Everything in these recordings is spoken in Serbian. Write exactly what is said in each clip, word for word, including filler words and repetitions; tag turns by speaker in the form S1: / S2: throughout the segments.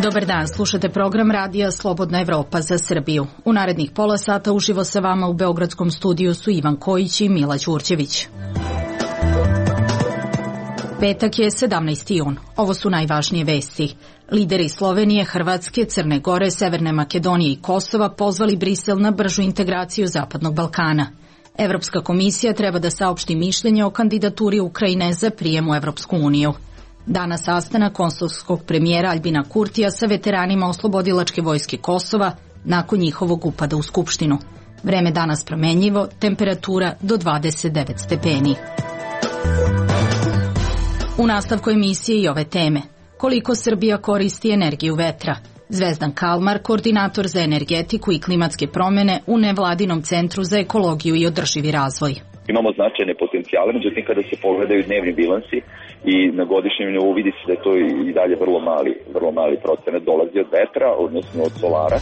S1: Dobar dan, slušate program radija Slobodna Evropa za Srbiju. U narednih pola sata uživo sa vama u beogradskom studiju su Ivan Kojić i Mila Ćurćević. Petak je sedamnaesti jun. Ovo su najvažnije vesti. Lideri Slovenije, Hrvatske, Crne Gore, Severne Makedonije i Kosova pozvali Brisel na bržu integraciju Zapadnog Balkana. Evropska komisija treba da saopšti mišljenje o kandidaturi Ukrajine za prijem u Evropsku uniju. Danas sastanak kosovskog premijera Aljbina Kurtija sa veteranima Oslobodilačke vojske Kosova nakon njihovog upada u Skupštinu. Vreme danas promenljivo, temperatura do dvadeset devet stepeni. U nastavku emisije i ove teme. Koliko Srbija koristi energiju vetra? Zvezdan Kalmar, koordinator za energetiku i klimatske promene u nevladinom centru za ekologiju i održivi razvoj.
S2: Imamo značajne potencijale, međutim kada se pogledaju dnevni bilansi i na godišnjem nivou vidi se da je to i dalje vrlo mali, vrlo mali procenat dolazi od vetra, odnosno od solara.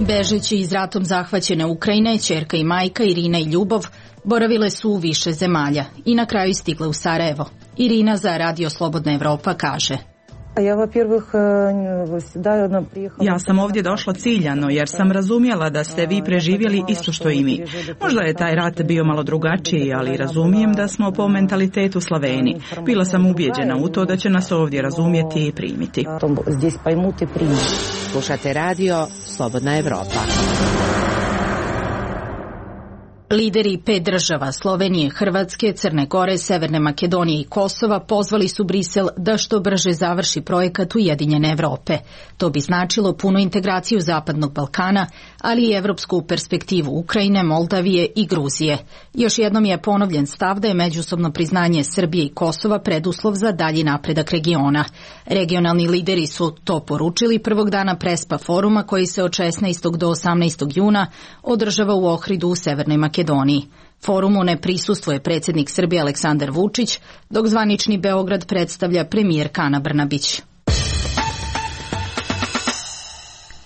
S1: Bežeći iz ratom zahvaćene Ukrajine, ćerka i majka Irina i Ljubov boravile su u više zemalja i na kraju stigle u Sarajevo. Irina za Radio Slobodna Evropa kaže:
S3: Ja sam ovdje došla ciljano jer sam razumjela da ste vi preživjeli isto što i mi. Možda je taj rat bio malo drugačiji, ali razumijem da smo po mentalitetu Slaveni. Bila sam ubijeđena u to da će nas ovdje razumjeti i primiti.
S4: Slušate Radio Slobodna Evropa.
S1: Lideri pet država Slovenije, Hrvatske, Crne Gore, Severne Makedonije i Kosova pozvali su Brisel da što brže završi projekat Ujedinjene Evrope. To bi značilo punu integraciju Zapadnog Balkana, ali i evropsku perspektivu Ukrajine, Moldavije i Gruzije. Još jednom je ponovljen stav da je međusobno priznanje Srbije i Kosova preduslov za dalji napredak regiona. Regionalni lideri su to poručili prvog dana Prespa foruma koji se od šesnaestog do osamnaestog juna održava u Ohridu u Severnoj Makedoniji. Makedoniji. Forumu ne prisustvuje predsjednik Srbije Aleksandar Vučić, dok zvanični Beograd predstavlja premijerka Ana Brnabić.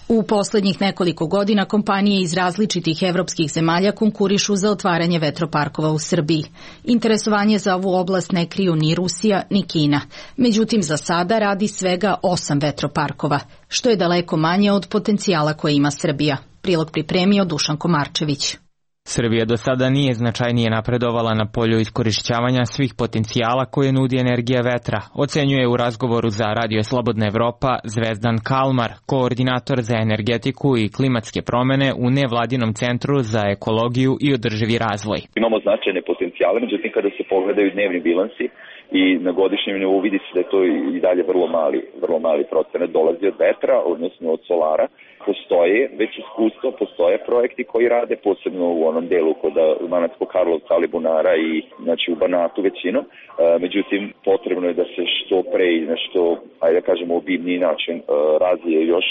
S1: U posljednjih nekoliko godina kompanije iz različitih evropskih zemalja konkurišu za otvaranje vetroparkova u Srbiji. Interesovanje za ovu oblast ne kriju ni Rusija ni Kina. Međutim, za sada radi svega osam vetroparkova, što je daleko manje od potencijala koje ima Srbija. Prilog pripremio Dušan Komarčević.
S5: Srbija do sada nije značajnije napredovala na polju iskorišćavanja svih potencijala koje nudi energija vetra, ocenjuje u razgovoru za Radio Slobodna Evropa Zvezdan Kalmar, koordinator za energetiku i klimatske promene u nevladinom centru za ekologiju i održivi razvoj.
S2: Imamo značajne potencijale, međutim kada se pogledaju dnevni bilansi i na godišnjem nivou vidi se da je to i dalje vrlo mali, vrlo mali procenat dolazi od vetra, odnosno od solara. Postoje već iskustvo, postoje projekti koji rade, posebno u onom delu kod Banatskog Karlovca, Alibunara i znači u Banatu većinom. E, međutim, potrebno je da se što pre i na što, ajde da kažemo, obimniji način e, razvije još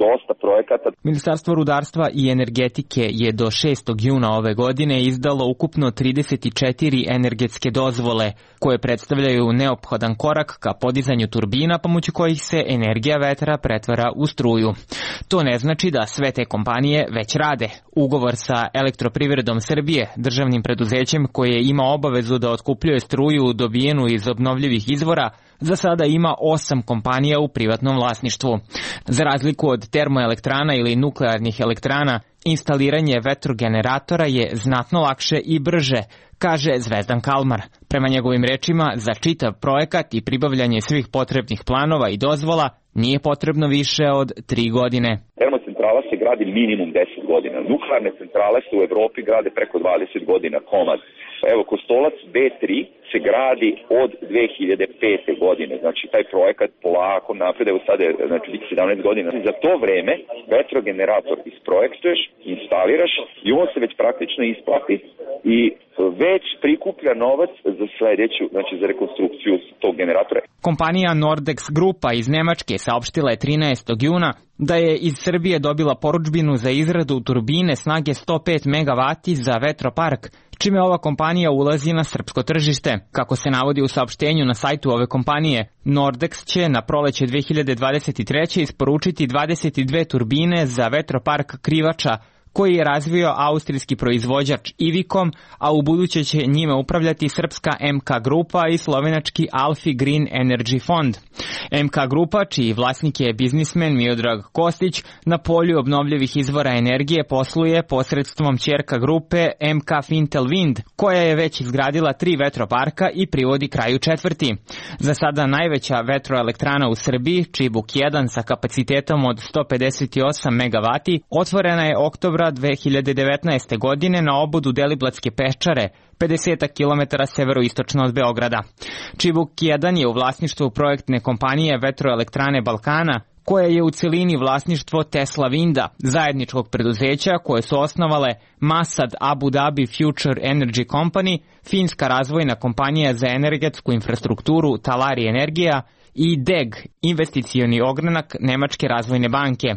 S2: dosta projekata.
S5: Ministarstvo rudarstva i energetike je do šestog juna ove godine izdalo ukupno trideset četiri energetske dozvole, koje predstavljaju neophodan korak ka podizanju turbina pomoću kojih se energija vetra pretvara u struju. To ne znači da sve te kompanije već rade. Ugovor sa Elektroprivredom Srbije, državnim preduzećem koje ima obavezu da otkupljuje struju dobijenu iz obnovljivih izvora, za sada ima osam kompanija u privatnom vlasništvu. Za razliku od termoelektrana ili nuklearnih elektrana, instaliranje vetrogeneratora je znatno lakše i brže, kaže Zvezdan Kalmar. Prema njegovim rečima, za čitav projekat i pribavljanje svih potrebnih planova i dozvola nije potrebno više od tri godine.
S2: Termocentrala se gradi minimum deset godina. Nuklearne centrale se u Evropi grade preko dvadeset godina komad. Evo, Kostolac B tri se gradi od dve hiljade pete. godine. Znači, taj projekat polako napred, evo sada je znači, sedamnaest godina. Za to vreme vetrogenerator isprojektuješ, instaliraš i on se već praktično isplati i već prikuplja novac za sljedeću, znači za rekonstrukciju tog generatora.
S5: Kompanija Nordex Grupa iz Nemačke saopštila je trinaestog juna da je iz Srbije dobila porudžbinu za izradu turbine snage sto pet megavati za vetropark, čime ova kompanija ulazi na srpsko tržište. Kako se navodi u saopštenju na sajtu ove kompanije, Nordex će na proleće dve hiljade dvadeset treće isporučiti dvadeset dve turbine za vetropark Krivača, koji je razvio austrijski proizvođač Ivikom, a u buduće će njime upravljati srpska M K Grupa i slovenački Alfi Green Energy Fond. M K Grupa, čiji vlasnik je biznismen Miodrag Kostić, na polju obnovljivih izvora energije posluje posredstvom ćerka grupe M K Fintel Wind, koja je već izgradila tri vetroparka i privodi kraju četvrti. Za sada najveća vetroelektrana u Srbiji, Čibuk jedan sa kapacitetom od sto pedeset osam megavati, otvorena je oktobra dve hiljade devetnaeste. godine na obodu Deliblatske peščare, pedeset kilometara severoistočno od Beograda. Čibuk jedan je u vlasništvu projektne kompanije Vetroelektrane Balkana, koja je u celini vlasništvo Tesla Winda, zajedničkog preduzeća koje su osnovale Masad Abu Dhabi Future Energy Company, finska razvojna kompanija za energetsku infrastrukturu Talari Energija i D E G, investicioni ogranak Nemačke razvojne banke.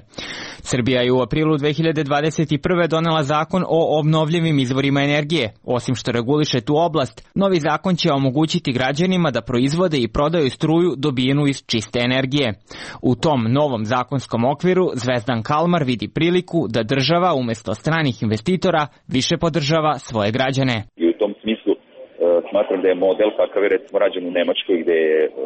S5: Srbija je u aprilu dve hiljade dvadeset prve. donela zakon o obnovljivim izvorima energije. Osim što reguliše tu oblast, novi zakon će omogućiti građanima da proizvode i prodaju struju dobijenu iz čiste energije. U tom novom zakonskom okviru Zvezdan Kalmar vidi priliku da država umjesto stranih investitora više podržava svoje građane.
S2: I u tom smislu smatram da je model kakav je recimo rađen u Nemačkoj, gde,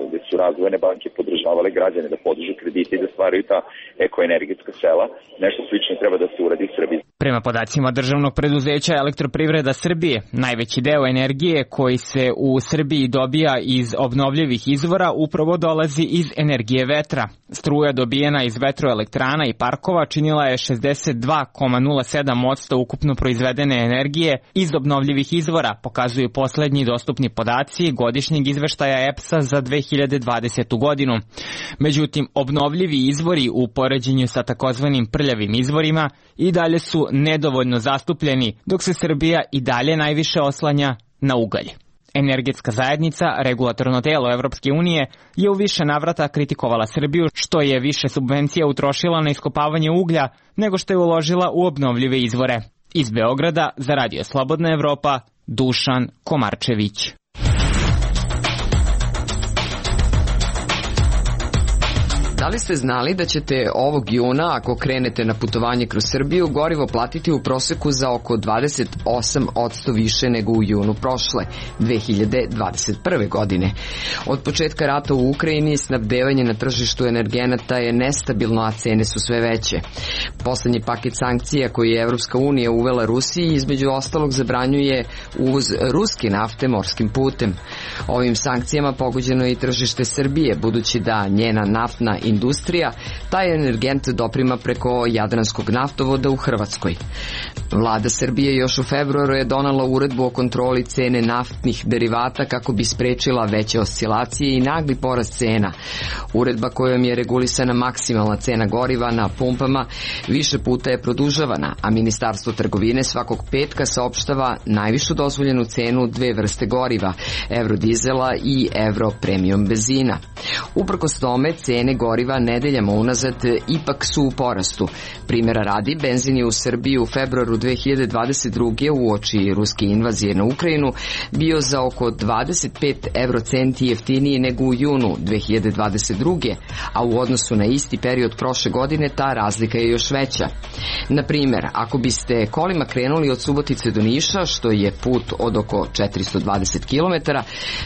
S2: gde su razvojne banke podržavale građane da podižu kredite i da stvaraju ta ekoenergetska sela. Nešto slično treba da se uradi u Srbiji.
S5: Prema podacima državnog preduzeća Elektroprivreda Srbije, najveći deo energije koji se u Srbiji dobija iz obnovljivih izvora upravo dolazi iz energije vetra. Struja dobijena iz vetroelektrana i parkova činila je šezdeset dva zarez nula sedam posto ukupno proizvedene energije iz obnovljivih izvora, pokazuju poslednji dostupni podaci godišnjeg izveštaja E P S-a za dve hiljade dvadesetu. godinu. Međutim, obnovljivi izvori u poređenju sa takozvanim prljavim izvorima i dalje su nedovoljno zastupljeni, dok se Srbija i dalje najviše oslanja na ugalj. Energetska zajednica, regulatorno telo Evropske unije, je u više navrata kritikovala Srbiju što je više subvencija utrošila na iskopavanje uglja nego što je uložila u obnovljive izvore. Iz Beograda za Radio Slobodna Evropa, Dušan Komarčević.
S6: Da li ste znali da ćete ovog juna, ako krenete na putovanje kroz Srbiju, gorivo platiti u proseku za oko dvadeset osam posto više nego u junu prošle, dve hiljade dvadeset prve. godine. Od početka rata u Ukrajini snabdevanje na tržištu energenata je nestabilno, a cene su sve veće. Poslednji paket sankcija koji je Evropska unija uvela Rusiji između ostalog zabranjuje uvoz ruske nafte morskim putem. Ovim sankcijama pogođeno je i tržište Srbije, budući da njena naftna industrija taj energent doprima preko Jadranskog naftovoda u Hrvatskoj. Vlada Srbije još u februaru je donela uredbu o kontroli cene naftnih derivata kako bi sprečila veće oscilacije i nagli porast cena. Uredba kojom je regulisana maksimalna cena goriva na pumpama više puta je produžavana, a Ministarstvo trgovine svakog petka saopštava najvišu dozvoljenu cenu dve vrste goriva, eurodizela i euro premium benzina. Uprkos tome, cene goriva nedeljama unazad ipak su u porastu. Primjera radi, benzin je u Srbiji u februaru dve hiljade dvadeset druge. uoči ruske invazije na Ukrajinu bio za oko dvadeset pet eurocenti jeftiniji nego u junu dve hiljade dvadeset druge. a u odnosu na isti period prošle godine ta razlika je još veća. Na primjer, ako biste kolima krenuli od Subotice do Niša, što je put od oko četiristo dvadeset kilometara,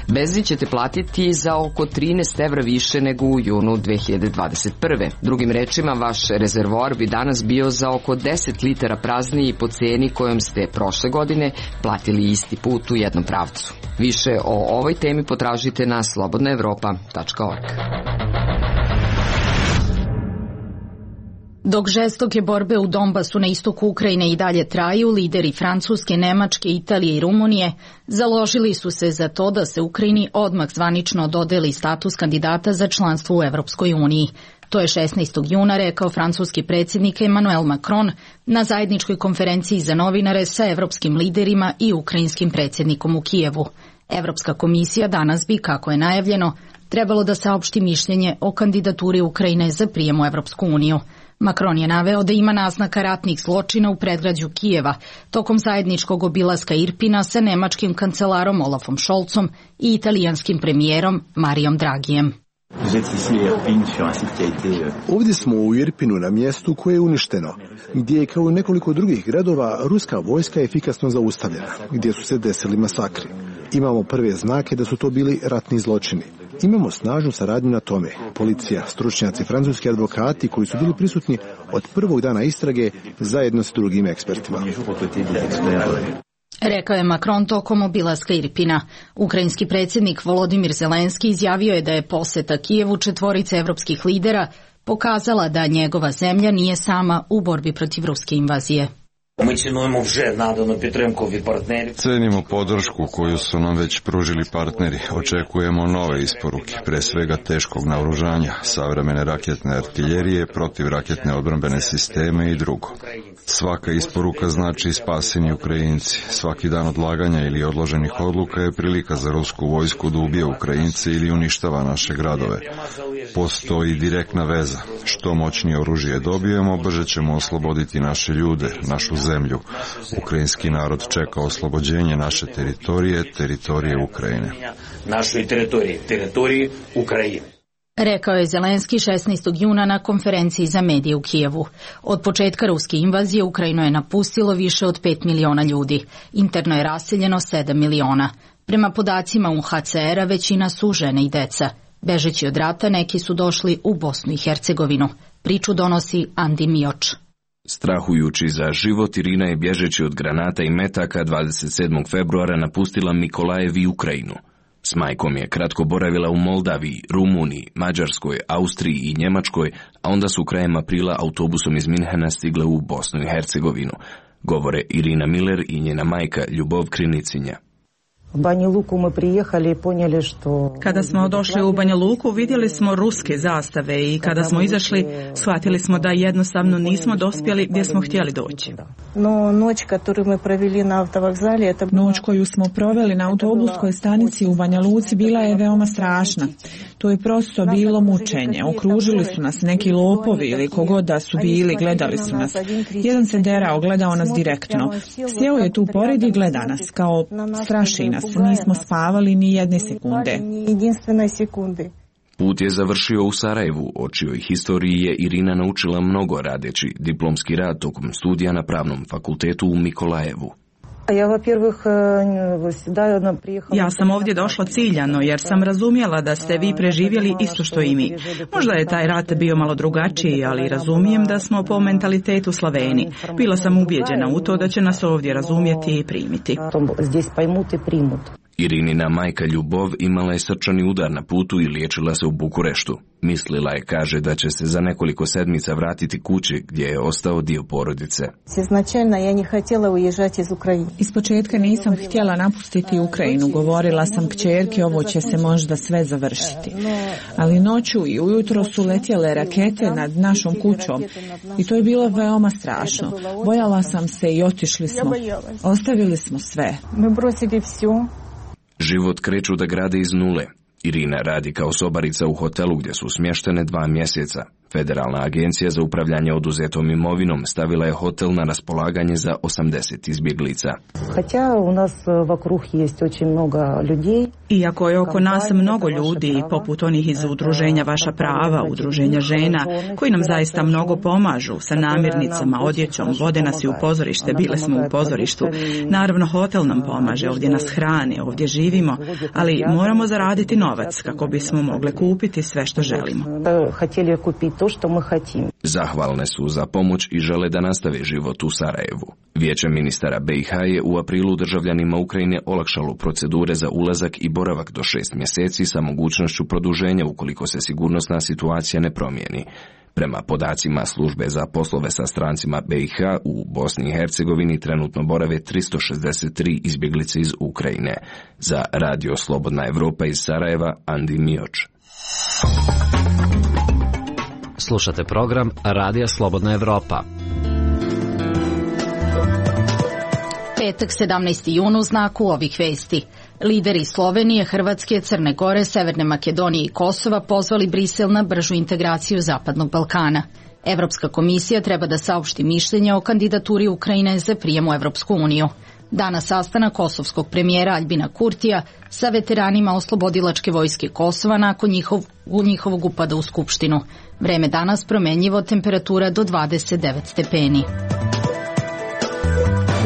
S6: benzin ćete platiti za oko trinaest evra više nego u junu dve hiljade dvadeset prve. Drugim rečima, vaš rezervoar bi danas bio za oko deset litara prazniji po ceni kojom ste prošle godine platili isti put u jednom pravcu. Više o ovoj temi potražite na slobodna evropa tačka org.
S1: Dok žestoke borbe u Donbasu na istoku Ukrajine i dalje traju, lideri Francuske, Nemačke, Italije i Rumunije založili su se za to da se Ukrajini odmah zvanično dodeli status kandidata za članstvo u Evropskoj uniji. To je šesnaestog juna rekao francuski predsjednik Emmanuel Macron na zajedničkoj konferenciji za novinare sa evropskim liderima i ukrajinskim predsjednikom u Kijevu. Evropska komisija danas bi, kako je najavljeno, trebalo da saopšti mišljenje o kandidaturi Ukrajine za prijem u Evropsku uniju. Macron je naveo da ima naznaka ratnih zločina u predgrađu Kijeva tokom zajedničkog obilaska Irpina sa nemačkim kancelarom Olafom Scholzom i italijanskim premijerom Marijom Dragijem.
S7: Ovdje smo u Irpinu na mjestu koje je uništeno, gdje je kao i nekoliko drugih gradova ruska vojska efikasno zaustavljena, gdje su se desili masakri. Imamo prve znake da su to bili ratni zločini. Imamo snažnu saradnju na tome. Policija, stručnjaci, francuski advokati koji su bili prisutni od prvog dana istrage zajedno s drugim ekspertima.
S1: Rekao je Macron tokom obilaska Irpina. Ukrajinski predsjednik Volodimir Zelenski izjavio je da je poseta Kijevu četvorice evropskih lidera pokazala da njegova zemlja nije sama u borbi protiv ruske invazije.
S8: Cenimo podršku koju su nam već pružili partneri. Očekujemo nove isporuke, pre svega teškog naoružanja, savremene raketne artiljerije, protivraketne odbrambene sisteme i drugo. Svaka isporuka znači spaseni Ukrajinci. Svaki dan odlaganja ili odloženih odluka je prilika za rusku vojsku da ubije Ukrajince ili uništava naše gradove. Postoji direktna veza. Što moćnije oružje dobijemo, brže ćemo osloboditi naše ljude, našu zemlju. Ukrajinski narod čeka oslobođenje naše teritorije, teritorije Ukrajine.
S9: Našoj teritoriji, teritoriji Ukrajine.
S1: Rekao je Zelenski šesnaestog juna na konferenciji za medije u Kijevu. Od početka ruske invazije Ukrajinu je napustilo više od pet miliona ljudi. Interno je raseljeno sedam miliona. Prema podacima U N H C R-a većina su žene i deca. Bežeći od rata neki su došli u Bosnu i Hercegovinu. Priču donosi Andi Mioč.
S10: Strahujući za život, Irina je bježeći od granata i metaka dvadeset sedmog februara napustila Mikolajev i Ukrajinu. S majkom je kratko boravila u Moldaviji, Rumuniji, Mađarskoj, Austriji i Njemačkoj, a onda su krajem aprila autobusom iz Minhena stigle u Bosnu i Hercegovinu, govore Irina Miller i njena majka Ljubov Krinicinja.
S3: Kada smo došli u Banja Luku, vidjeli smo ruske zastave i kada smo izašli, shvatili smo da jednostavno nismo dospjeli gdje smo htjeli doći.
S11: Noć koju smo proveli na autobuskoj stanici u Banja Luci bila je veoma strašna. To je prosto bilo mučenje. Okružili su nas neki lopovi ili kogod da su bili, gledali su nas. Jedan se derao, gledao nas direktno. Sjeo je tu pored i gleda nas, kao straši nas. Nismo spavali ni jedne sekunde.
S10: Put je završio u Sarajevu, o čijoj historiji je Irina naučila mnogo radeći diplomski rad tokom studija na Pravnom fakultetu u Mikolajevu.
S3: Ja sam ovdje došla ciljano jer sam razumjela da ste vi preživjeli isto što i mi. Možda je taj rat bio malo drugačiji, ali razumijem da smo po mentalitetu Slaveni. Bila sam ubijeđena u to da će nas ovdje razumjeti i primiti.
S10: Irinina majka Ljubov imala je srčani udar na putu i liječila se u Bukureštu. Mislila je, kaže, da će se za nekoliko sedmica vratiti kući gdje je ostao dio porodice.
S11: Ispočetka nisam htjela napustiti Ukrajinu. Govorila sam kćerki, ovo će se možda sve završiti. Ali noću i ujutro su letjele rakete nad našom kućom i to je bilo veoma strašno. Bojala sam se i otišli smo. Ostavili smo sve.
S10: Život kreću da grade iz nule. Irina radi kao sobarica u hotelu gdje su smještene dva mjeseca. Federalna agencija za upravljanje oduzetom imovinom stavila je hotel na raspolaganje za osamdeset izbjeglica.
S3: Iako je oko nas mnogo ljudi, poput onih iz udruženja Vaša prava, udruženja žena, koji nam zaista mnogo pomažu sa namirnicama, odjećom, vode nas i u pozorište, bile smo u pozorištu. Naravno, hotel nam pomaže, ovdje nas hrane, ovdje živimo, ali moramo zaraditi novac kako bismo mogli kupiti sve što želimo.
S10: Zahvalne su za pomoć i žele da nastave život u Sarajevu. Vijeće ministara B i H je u aprilu državljanima Ukrajine olakšalo procedure za ulazak i boravak do šest mjeseci sa mogućnošću produženja ukoliko se sigurnosna situacija ne promijeni. Prema podacima službe za poslove sa strancima B i H u Bosni i Hercegovini trenutno borave tristo šezdeset tri izbjeglice iz Ukrajine. Za Radio Slobodna Evropa iz Sarajeva, Andi Mioč.
S4: Slušate program Radija Slobodna Evropa.
S1: Petak sedamnaesti jun u znaku ovih vesti. Lideri Slovenije, Hrvatske, Crne Gore, Severne Makedonije i Kosova pozvali Brisel na bržu integraciju Zapadnog Balkana. Evropska komisija treba da saopšti mišljenje o kandidaturi Ukrajine za prijem u Evropsku uniju. Danas sastanak kosovskog premijera Aljbina Kurtija sa veteranima oslobodilačke vojske Kosova nakon njihov, njihovog upada u Skupštinu. Vreme danas promenljivo, temperatura do dvadeset devet stepeni.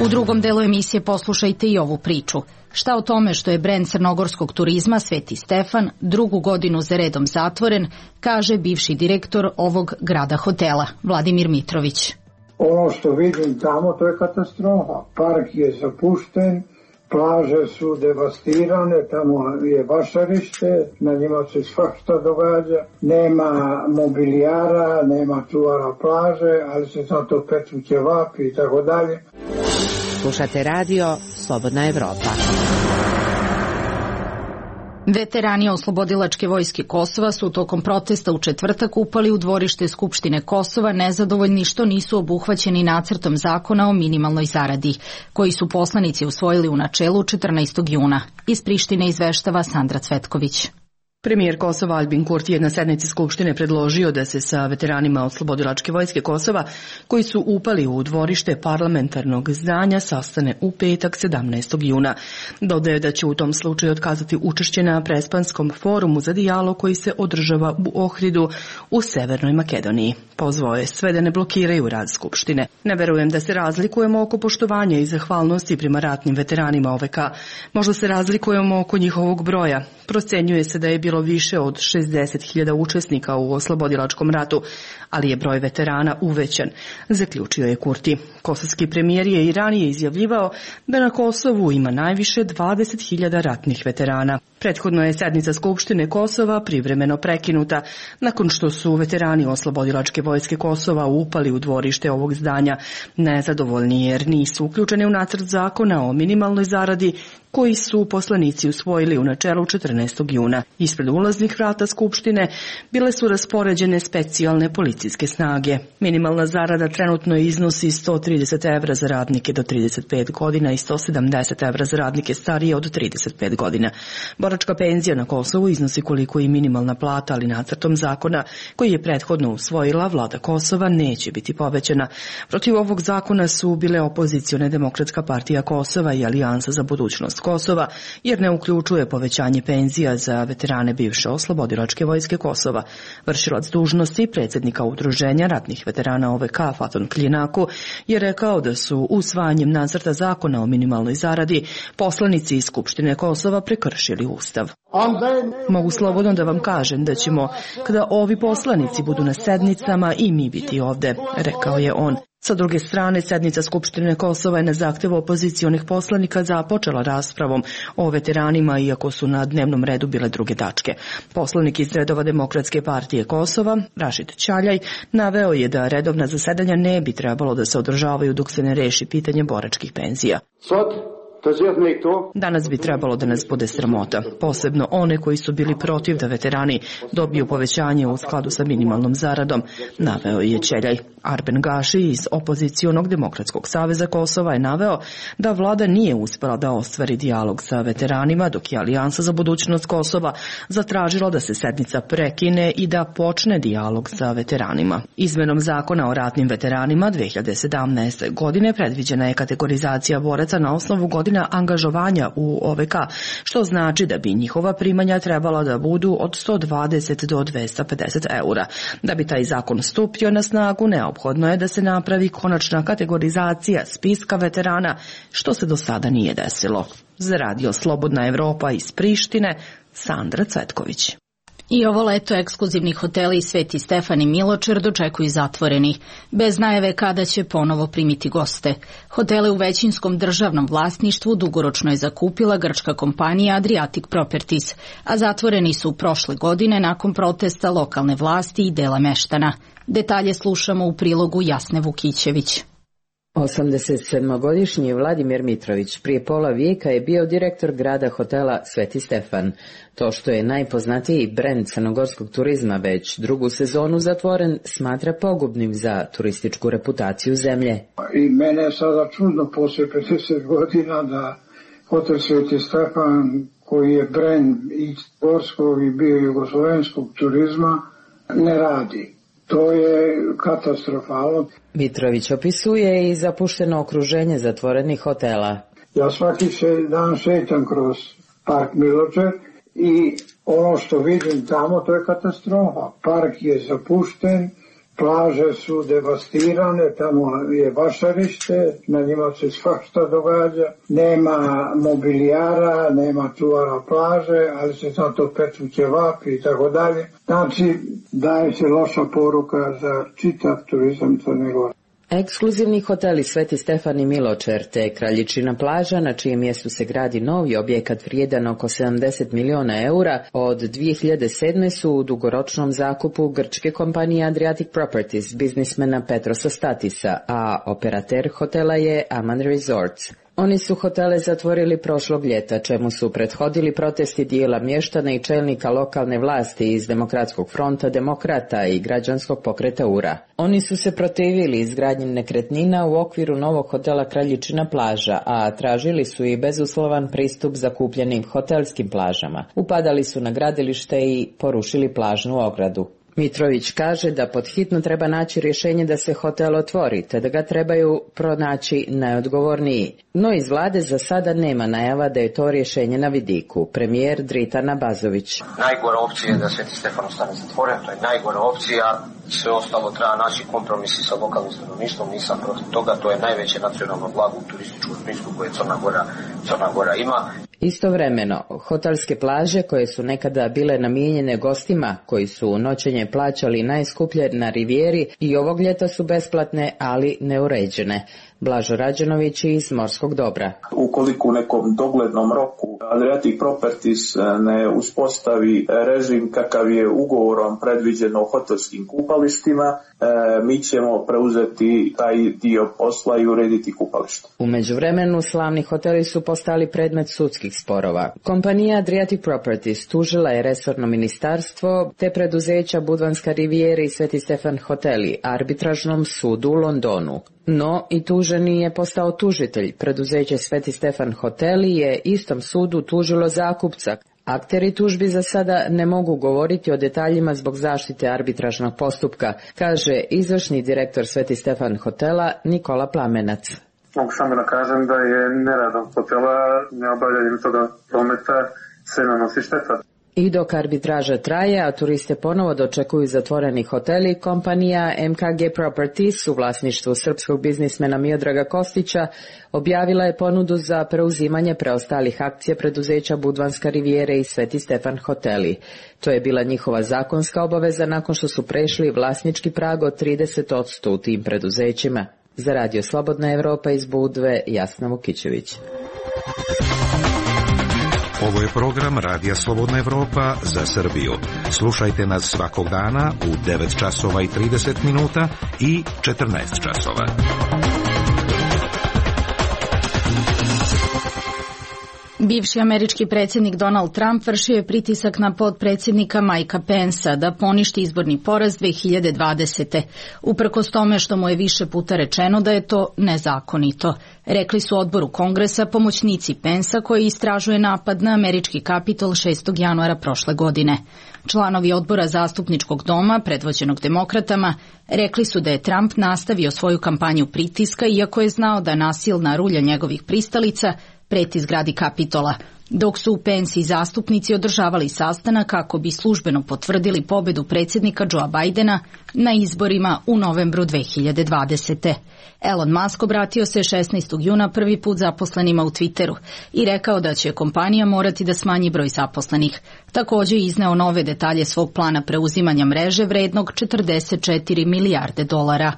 S1: U drugom delu emisije poslušajte i ovu priču. Šta o tome što je brend crnogorskog turizma Sveti Stefan drugu godinu za redom zatvoren, kaže bivši direktor ovog grada hotela, Vladimir Mitrović.
S12: Ono što vidim tamo, to je katastrofa. Park je zapušten, plaže su devastirane, tamo je vašarište, na njima se svašta događa. Nema mobilijara, nema čuvara plaže, ali se zato pecu ćevapi i tako dalje.
S13: Slušate radio Slobodna Evropa.
S1: Veterani Oslobodilačke vojske Kosova su tokom protesta u četvrtak upali u dvorište Skupštine Kosova nezadovoljni što nisu obuhvaćeni nacrtom zakona o minimalnoj zaradi, koji su poslanici usvojili u načelu četrnaestog juna. Iz Prištine izveštava Sandra Cvetković.
S14: Premijer Kosova Albin Kurti je na sednici Skupštine predložio da se sa veteranima Oslobodilačke vojske Kosova, koji su upali u dvorište parlamentarnog zdanja, sastane u petak sedamnaestog juna. Dodaje da će u tom slučaju otkazati učešće na Prespanskom forumu za dijalog koji se održava u Ohridu u Severnoj Makedoniji. Pozvao je sve da ne blokiraju rad Skupštine. Ne verujem da se razlikujemo oko poštovanja i zahvalnosti prema ratnim veteranima O V K. Možda se razlikujemo oko njihovog broja. Procenjuje se da je bilo više od šezdeset hiljada učesnika u oslobodilačkom ratu, ali je broj veterana uvećan, zaključio je Kurti. Kosovski premijer je i ranije izjavljivao da na Kosovu ima najviše dvadeset hiljada ratnih veterana. Prethodno je sednica Skupštine Kosova privremeno prekinuta nakon što su veterani Oslobodilačke vojske Kosova upali u dvorište ovog zdanja nezadovoljni jer nisu uključeni u nacrt zakona o minimalnoj zaradi koji su poslanici usvojili u načelu četrnaestog juna. Ispred ulaznih vrata Skupštine bile su raspoređene specijalne policijske snage. Minimalna zarada trenutno iznosi sto trideset evra za radnike do trideset pet godina i sto sedamdeset evra za radnike starije od trideset pet godina. Boračka penzija na Kosovu iznosi koliko i minimalna plata, ali nacrtom zakona koji je prethodno usvojila vlada Kosova neće biti povećana. Protiv ovog zakona su bile opozicione Demokratska partija Kosova i Alijansa za budućnost Kosova, jer ne uključuje povećanje penzija za veterane bivše Oslobodilačke vojske Kosova. Vršilac dužnosti predsjednika Udruženja ratnih veterana O V K Faton Kljinaku je rekao da su usvajanjem nacrta zakona o minimalnoj zaradi poslanici iz Skupštine Kosova prekršili Ustav. Mogu slobodno da vam kažem da ćemo, kada ovi poslanici budu na sednicama, i mi biti ovde, rekao je on. Sa druge strane, sednica Skupštine Kosova je na zahtev opozicionih poslanika započela raspravom o veteranima, iako su na dnevnom redu bile druge tačke. Poslanik iz redova Demokratske partije Kosova, Rašid Ćaljaj, naveo je da redovna zasedanja ne bi trebalo da se održavaju dok se ne reši pitanje boračkih penzija. Danas bi trebalo da nas bude sramota, posebno one koji su bili protiv da veterani dobiju povećanje u skladu sa minimalnom zaradom, naveo je Ćeljaj. Arben Gaši iz opozicionog Demokratskog saveza Kosova je naveo da vlada nije uspela da ostvari dijalog sa veteranima, dok je Alijansa za budućnost Kosova zatražila da se sednica prekine i da počne dijalog sa veteranima. Izmenom zakona o ratnim veteranima dve hiljade sedamnaeste. godine predviđena je kategorizacija boraca na osnovu godina angažovanja u O V K, što znači da bi njihova primanja trebala da budu od sto dvadeset do dvesta pedeset eura. Da bi taj zakon stupio na snagu, neophodno je da se napravi konačna kategorizacija spiska veterana, što se do sada nije desilo. Za radio Slobodna Evropa iz Prištine, Sandra Cvetković.
S1: I ovo leto ekskluzivni hoteli Sveti Stefan i Miločer dočekuju zatvoreni, bez najave kada će ponovo primiti goste. Hotele u većinskom državnom vlasništvu dugoročno je zakupila grčka kompanija Adriatic Properties, a zatvoreni su prošle godine nakon protesta lokalne vlasti i dela meštana. Detalje slušamo u prilogu Jasne Vukićević.
S13: osamdesetsedmogodišnji Vladimir Mitrović prije pola vijeka je bio direktor grada hotela Sveti Stefan. To što je najpoznatiji brend crnogorskog turizma već drugu sezonu zatvoren, smatra pogubnim za turističku reputaciju zemlje.
S12: I mene je sada čudno poslije pedeset godina da hotel Sveti Stefan, koji je brend i gorskog i bio jugoslovenskog turizma, ne radi. To je katastrofalno.
S13: Mitrović opisuje i zapušteno okruženje zatvorenih hotela.
S12: Ja svaki se dan šetam kroz park Miločer i ono što vidim tamo, to je katastrofa. Park je zapušten, plaže su devastirane, tamo je vašarište, na njima se svašta događa, nema mobilijara, nema čuvara plaže, ali se zato pecu ćevapi i tako dalje. Znači, daje se loša poruka za čitav turizam Crne Gore.
S13: Ekskluzivni hoteli Sveti Stefan i Miločer te Kraljičina plaža, na čijem mjestu se gradi novi objekat vrijedan oko sedamdeset miliona eura, od dvije hiljade sedme su u dugoročnom zakupu grčke kompanije Adriatic Properties biznismena Petrosa Statisa, a operater hotela je Aman Resorts. Oni su hotele zatvorili prošlog ljeta, čemu su prethodili protesti dijela mještana i čelnika lokalne vlasti iz Demokratskog fronta Demokrata i građanskog pokreta U R A. Oni su se protivili izgradnji nekretnina u okviru novog hotela Kraljičina plaža, a tražili su i bezuslovan pristup zakupljenim hotelskim plažama. Upadali su na gradilište i porušili plažnu ogradu. Mitrović kaže da pod hitno treba naći rješenje da se hotel otvori, te da ga trebaju pronaći najodgovorniji. No iz vlade za sada nema najava da je to rješenje na vidiku. Premijer Dritan Abazović.
S15: Najgora opcija je da Sveti Stefan ostane zatvoren, to je najgora opcija. Sve ostalo treba naći kompromisi sa lokalnim stanovništvom, nisam protiv toga, to je najveće nacionalno blago u turističkom smislu koje Crna Gora, Crna Gora ima.
S13: Istovremeno, hotelske plaže koje su nekada bile namijenjene gostima koji su noćenje plaćali najskuplje na rivijeri i ovog ljeta su besplatne, ali neuređene. Blažo Rađenović iz Morskog Dobra.
S16: Ukoliko u nekom doglednom roku Adriatic Properties ne uspostavi režim kakav je ugovorom predviđeno o hotelskim kupalištima, mi ćemo preuzeti taj dio posla i urediti kupalište.
S13: U međuvremenu slavni hoteli su postali predmet sudskih sporova. Kompanija Adriatic Properties tužila je resorno ministarstvo te preduzeća Budvanska rivijera i Sveti Stefan hoteli arbitražnom sudu u Londonu. No i tuženi je postao tužitelj. Preduzeće Sveti Stefan hoteli je istom sudu tužilo zakupca. Akteri tužbi za sada ne mogu govoriti o detaljima zbog zaštite arbitražnog postupka, kaže izvršni direktor Sveti Stefan hotela Nikola Plamenac.
S17: Mogu samo da kažem da je neradom hotela, neobavljanjem toga prometa se nanosi šteta.
S13: I dok arbitraža traje, a turiste ponovo dočekuju zatvoreni hoteli, kompanija M K G Properties u vlasništvu srpskog biznismena Miodraga Kostića objavila je ponudu za preuzimanje preostalih akcija preduzeća Budvanska rivijera i Sveti Stefan hoteli. To je bila njihova zakonska obaveza nakon što su prešli vlasnički prag od trideset posto u tim preduzećima. Za Radio Slobodna Evropa iz Budve, Jasna Vukićević.
S18: Ovo je program Radija Slobodna Evropa za Srbiju. Slušajte nas svakog dana u devet časova i trideset minuta i četrnaest časova.
S1: Bivši američki predsjednik Donald Trump vršio je pritisak na potpredsjednika Mikea Pensa da poništi izborni poraz dve hiljade dvadesete. Uprkos tome što mu je više puta rečeno da je to nezakonito. Rekli su odboru Kongresa pomoćnici Pensa koji istražuje napad na američki Kapitol šestog januara prošle godine. Članovi odbora zastupničkog doma, predvođenog demokratama, rekli su da je Trump nastavio svoju kampanju pritiska iako je znao da nasilna rulja njegovih pristalica preti zgradi Kapitola, dok su Pence i zastupnici održavali sastanak kako bi službeno potvrdili pobedu predsjednika Joea Bidena na izborima u novembru dve hiljade dvadesete. Elon Musk obratio se šesnaestog juna prvi put zaposlenima u Twitteru i rekao da će kompanija morati da smanji broj zaposlenih. Također je izneo nove detalje svog plana preuzimanja mreže vrednog četrdeset četiri milijarde dolara.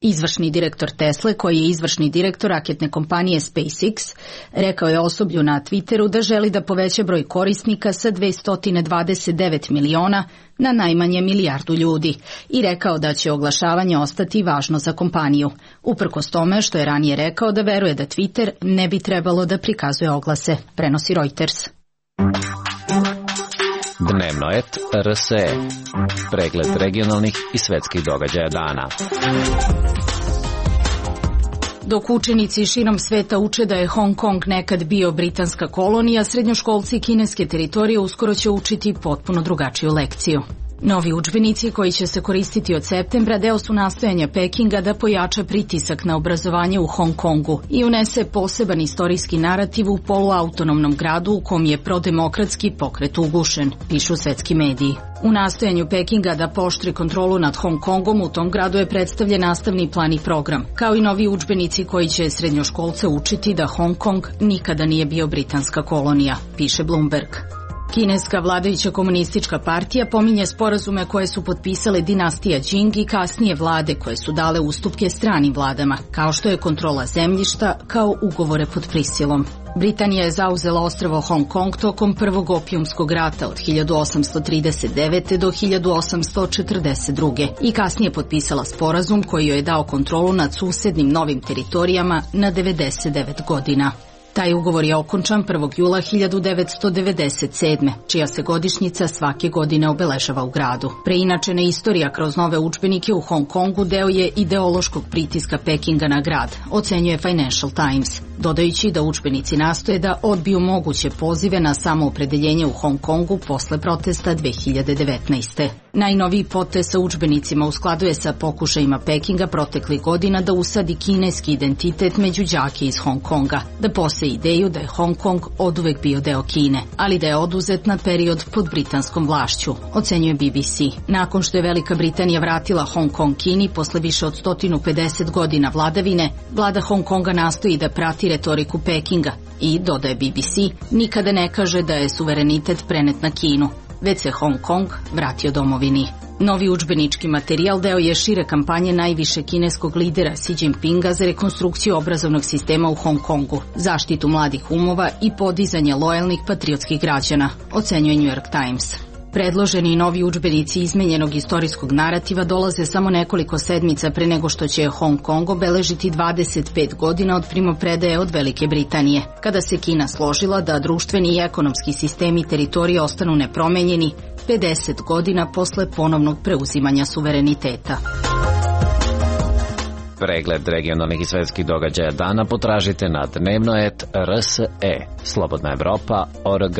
S1: Izvršni direktor Tesle, koji je izvršni direktor raketne kompanije SpaceX, rekao je osoblju na Twitteru da želi da poveća broj korisnika sa dvesta dvadeset devet miliona na najmanje milijardu ljudi i rekao da će oglašavanje ostati važno za kompaniju. Uprkos tome što je ranije rekao da veruje da Twitter ne bi trebalo da prikazuje oglase, prenosi Reuters.
S4: Dnevno et R S E. Pregled regionalnih i svetskih događaja dana.
S1: Dok učenici širom sveta uče da je Hong Kong nekad bio britanska kolonija, srednjoškolci kineske teritorije uskoro će učiti potpuno drugačiju lekciju. Novi udžbenici koji će se koristiti od septembra deo su nastojanja Pekinga da pojača pritisak na obrazovanje u Hong Kongu i unese poseban istorijski narativ u poluautonomnom gradu u kom je prodemokratski pokret ugušen, pišu svetski mediji. U nastojanju Pekinga da poštri kontrolu nad Hong Kongom u tom gradu je predstavljen nastavni plan i program, kao i novi udžbenici koji će srednjoškolce učiti da Hong Kong nikada nije bio britanska kolonija, piše Bloomberg. Kineska vladajuća komunistička partija pominje sporazume koje su potpisale dinastija Jing i kasnije vlade koje su dale ustupke stranim vladama, kao što je kontrola zemljišta, kao ugovore pod prisilom. Britanija je zauzela ostrvo Hong Kong tokom prvog opijumskog rata od hiljadu osamsto trideset devete. do hiljadu osamsto četrdeset druge. i kasnije potpisala sporazum koji joj je dao kontrolu nad susednim novim teritorijama na devedeset devet godina. Taj ugovor je okončan prvog jula hiljadu devetsto devedeset sedme. čija se godišnjica svake godine obeležava u gradu. Preinačena istorija kroz nove udžbenike u Hong Kongu deo je ideološkog pritiska Pekinga na grad, ocenjuje Financial Times, dodajući da udžbenici nastoje da odbiju moguće pozive na samoopredeljenje u Hong Kongu posle protesta dve hiljade devetnaeste. Najnoviji potez sa udžbenicima uskladuje sa pokušajima Pekinga proteklih godina da usadi kineski identitet među đake iz Hong Konga, da pose ideju da je Hong Kong oduvek bio deo Kine, ali da je oduzet na period pod britanskom vlašću, ocenjuje B B C. Nakon što je Velika Britanija vratila Hong Kong Kini posle više od sto pedeset godina vladavine, vlada Hong Konga nastoji da prati retoriku Pekinga i, dodaje B B C, nikada ne kaže da je suverenitet prenet na Kinu, već se Hong Kong vratio domovini. Novi udžbenički materijal deo je šire kampanje najviše kineskog lidera Xi Jinpinga za rekonstrukciju obrazovnog sistema u Hong Kongu, zaštitu mladih umova i podizanje lojalnih patriotskih građana, ocenjuje New York Times. Predloženi novi udžbenici izmenjenog istorijskog narativa dolaze samo nekoliko sedmica pre nego što će Hong Kong obeležiti dvadeset pet godina od primopredaje od Velike Britanije, kada se Kina složila da društveni i ekonomski sistemi teritorije ostanu nepromenjeni pedeset godina posle ponovnog preuzimanja suvereniteta.
S4: Pregled regionalnih i svetskih događaja dana potražite na dnevno et r s e, slobodna evropa tačka org.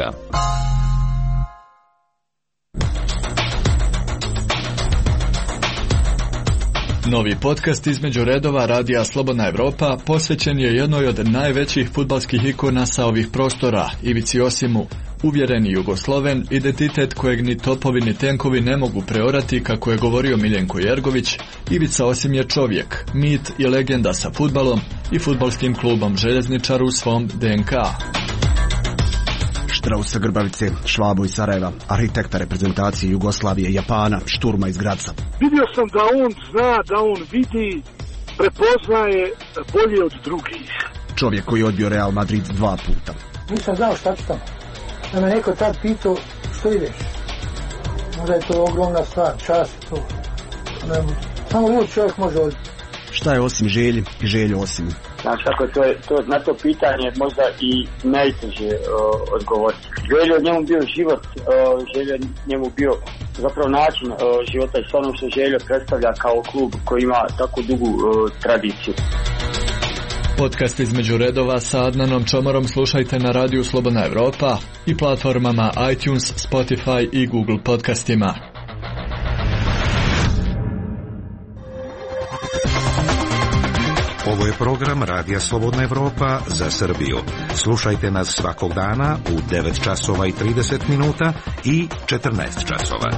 S19: Novi podcast između redova radija Slobodna Evropa posvećen je jednoj od najvećih fudbalskih ikona sa ovih prostora, Ivici Osimu. Uvjereni Jugosloven, identitet kojeg ni topovi ni tenkovi ne mogu preorati, kako je govorio Miljenko Jergović, Ivica Osim je čovjek, mit i legenda sa fudbalom i fudbalskim klubom Željezničar u svom D N K.
S20: Štraus sa Grbavice, Švabo iz Sarajeva, arhitekta reprezentacije Jugoslavije, Japana, Šturma iz Graca.
S21: Vidio sam da on zna, da on vidi, prepoznaje bolje od drugih.
S20: Čovjek koji je odbio Real Madrid dva puta.
S12: Nisam znao šta ću tamo. Da me neko tad pitao što ideš. Možda je to ogromna stvar, čast to. Samo lud čovjek može odbiti.
S20: Šta je osim želji i želju osim?
S22: Znači kako to je, to, na to pitanje možda i najteže uh, odgovoriti. Željo njemu bio život, uh, Željo njemu bio zapravo način uh, života i sve ono što Željo predstavlja kao klub koji ima tako dugu uh, tradiciju.
S19: Podcast između redova sa Adnanom Čomorom slušajte na radiju Slobodna Evropa i platformama iTunes, Spotify i Google podcastima.
S18: Ovo je program Radija Slobodna Evropa za Srbiju. Slušajte nas svakog dana u devet časova i trideset minuta i četrnaest časova.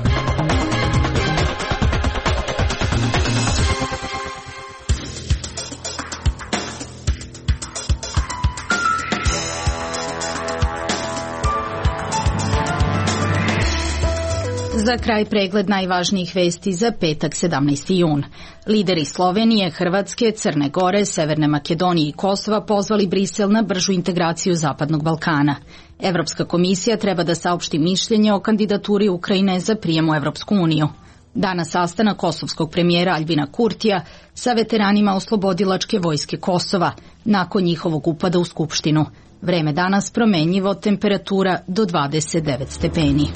S1: Za kraj pregled najvažnijih vesti za petak sedamnaesti jun. Lideri Slovenije, Hrvatske, Crne Gore, Severne Makedonije i Kosova pozvali Brisel na bržu integraciju Zapadnog Balkana. Evropska komisija treba da saopšti mišljenje o kandidaturi Ukrajine za prijem u Evropsku uniju. Danas sastanak kosovskog premijera Aljbina Kurtija sa veteranima oslobodilačke vojske Kosova nakon njihovog upada u Skupštinu. Vreme danas promenljivo, temperatura do dvadeset devet stepeni.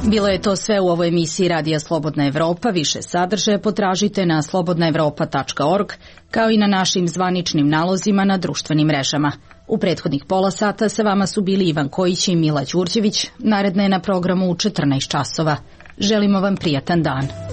S1: Bilo je to sve u ovoj emisiji Radija Slobodna Evropa. Više sadržaja potražite na slobodna evropa tačka org, kao i na našim zvaničnim nalozima na društvenim mrežama. U prethodnih pola sata sa vama su bili Ivan Kojić i Mila Đurđević. Naredna je na programu u četrnaest časova. Želimo vam prijatan dan.